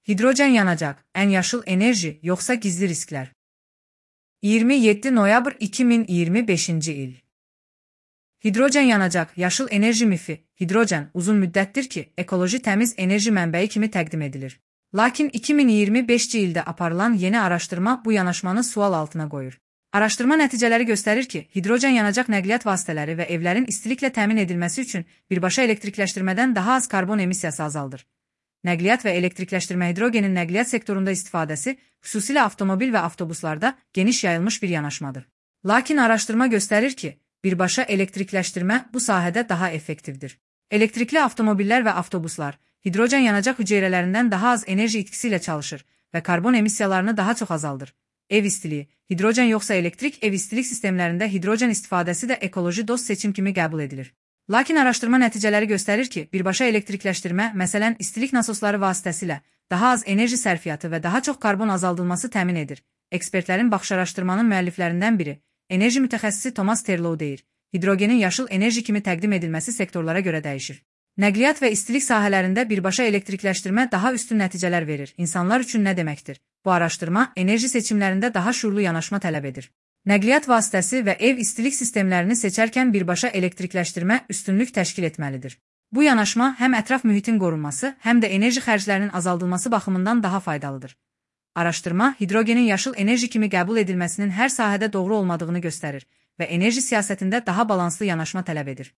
Hidrojen yanacaq, ən yaşıl enerji, yoxsa gizli risklər? 27 noyabr 2025-ci il. Hidrojen yanacaq, yaşıl enerji mifi. Hidrojen uzun müddətdir ki, ekoloji təmiz enerji mənbəyi kimi təqdim edilir. Lakin 2025-ci ildə aparılan yeni araşdırma bu yanaşmanı sual altına qoyur. Araşdırma nəticələri göstərir ki, hidrojen yanacaq nəqliyyat vasitələri və evlərin istiliklə təmin edilməsi üçün birbaşa elektrikləşdirmədən daha az karbon emissiyası azaldır. Nəqliyyat və elektrikləşdirmə hidrogenin nəqliyyat sektorunda istifadəsi, xüsusilə avtomobil və avtobuslarda geniş yayılmış bir yanaşmadır. Lakin araşdırma göstərir ki, birbaşa elektrikləşdirmə bu sahədə daha effektivdir. Elektrikli avtomobillər və avtobuslar hidrojen yanacaq hüceyrələrindən daha az enerji itkisi ilə çalışır və karbon emissiyalarını daha çox azaldır. Ev istiliyi, hidrojen yoxsa elektrik ev istilik sistemlərində hidrojen istifadəsi də ekoloji dost seçim kimi qəbul edilir. Lakin araşdırma nəticələri göstərir ki, birbaşa elektrikləşdirmə, məsələn, istilik nasosları vasitəsilə daha az enerji sərfiyyatı və daha çox karbon azaldılması təmin edir. Ekspertlərin baxış araşdırmanın müəlliflərindən biri, enerji mütəxəssisi Thomas Terlow deyir, hidrogenin yaşıl enerji kimi təqdim edilməsi sektorlara görə dəyişir. Nəqliyyat və istilik sahələrində birbaşa elektrikləşdirmə daha üstün nəticələr verir. İnsanlar üçün nə deməkdir? Bu araşdırma enerji seçimlərində daha şuurlu yanaşma tələb edir. Nəqliyyat vasitəsi və ev istilik sistemlərini seçərkən birbaşa elektrikləşdirmə üstünlük təşkil etməlidir. Bu yanaşma həm ətraf mühitin qorunması, həm də enerji xərclərinin azaldılması baxımından daha faydalıdır. Araşdırma, hidrogenin yaşıl enerji kimi qəbul edilməsinin hər sahədə doğru olmadığını göstərir və enerji siyasətində daha balanslı yanaşma tələb edir.